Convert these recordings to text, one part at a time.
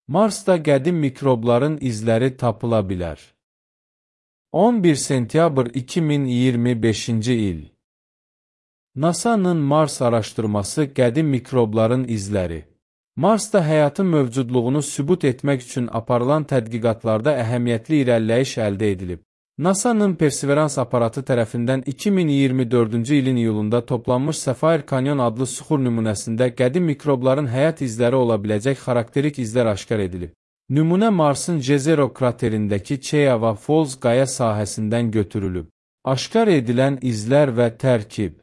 Marsda qədim mikrobların izləri tapıla bilər. 11 sentyabr 2025-ci il. NASA-nın Mars araşdırması qədim mikrobların izləri. Marsda həyatın mövcudluğunu sübut etmək üçün aparılan tədqiqatlarda əhəmiyyətli irəliləyiş əldə edilib. NASA-nın Perseverance aparatı tərəfindən 2024-cü ilin iyulunda toplanmış Sapphire Canyon adlı süxur nümunəsində qədim mikrobların həyat izləri ola biləcək xarakterik izlər aşkar edilib. Nümunə Marsın Jezero kraterindəki Cheava Falls qaya sahəsindən götürülüb. Aşkar edilən izlər və tərkib.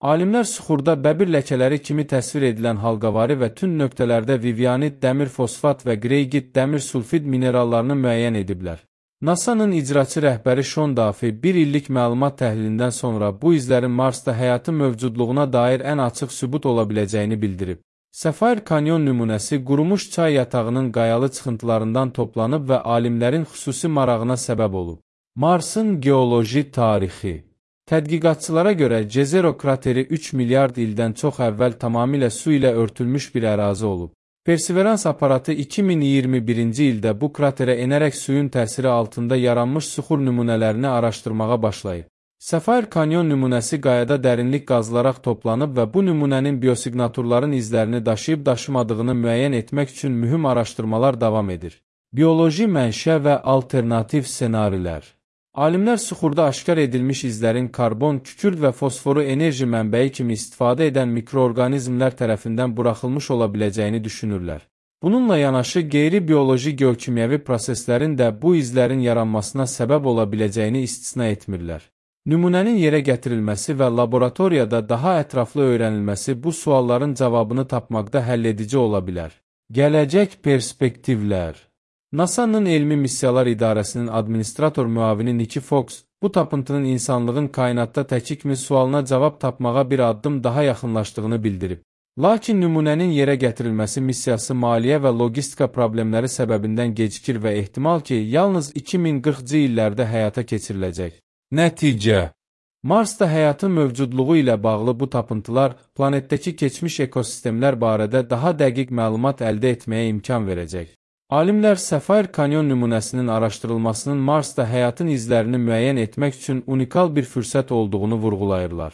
Alimlər süxurda bəbir ləkələri kimi təsvir edilən halqavari və tünd nöqtələrdə vivianit, dəmir fosfat və qreygit, dəmir sulfid minerallarını müəyyən ediblər. NASA-nın icraçı rəhbəri Sean Duffy bir illik məlumat təhlilindən sonra bu izlərin Marsda həyatın mövcudluğuna dair ən açıq sübut ola biləcəyini bildirib. Sapphire Canyon nümunəsi qurumuş çay yatağının qayalı çıxıntılarından toplanıb və alimlərin xüsusi marağına səbəb olub. Marsın geoloji tarixi. Tədqiqatçılara görə Jezero krateri 3 milyard ildən çox əvvəl tamamilə su ilə örtülmüş bir ərazi olub. Perseverance aparatı 2021-ci ildə bu kraterə enərək suyun təsiri altında yaranmış süxur nümunələrini araşdırmağa başlayıb. Sapphire Canyon nümunəsi qayada dərinlik qazılaraq toplanıb və bu nümunənin biosiqnaturların izlərini daşıyıb-daşımadığını müəyyən etmək üçün mühüm araşdırmalar davam edir. Bioloji mənşə və alternativ ssenarilər. Alimlər süxurda aşkar edilmiş izlərin karbon, kükürt və fosforu enerji mənbəyi kimi istifadə edən mikroorqanizmlər tərəfindən buraxılmış ola biləcəyini düşünürlər. Bununla yanaşı qeyri-bioloji geokimyəvi proseslərin də bu izlərin yaranmasına səbəb ola biləcəyini istisna etmirlər. Nümunənin yerə gətirilməsi və laboratoriyada daha ətraflı öyrənilməsi bu sualların cavabını tapmaqda həlledici ola bilər. Gələcək perspektivlər. NASA-nın Elmi Missiyalar İdarəsinin administrator müavini Nikki Fox, bu tapıntının insanlığın kainatda təki kimi sualına cavab tapmağa bir addım daha yaxınlaşdığını bildirib. Lakin nümunənin yerə gətirilməsi missiyası maliyyə və logistika problemləri səbəbindən gecikir və ehtimal ki, yalnız 2040-cı illərdə həyata keçiriləcək. Nəticə. Marsda həyatın mövcudluğu ilə bağlı bu tapıntılar planetdəki keçmiş ekosistemlər barədə daha dəqiq məlumat əldə etməyə imkan verəcək. Alimlər Sapphire Canyon nümunəsinin araşdırılmasının Marsda həyatın izlərini müəyyən etmək üçün unikal bir fürsət olduğunu vurğulayırlar.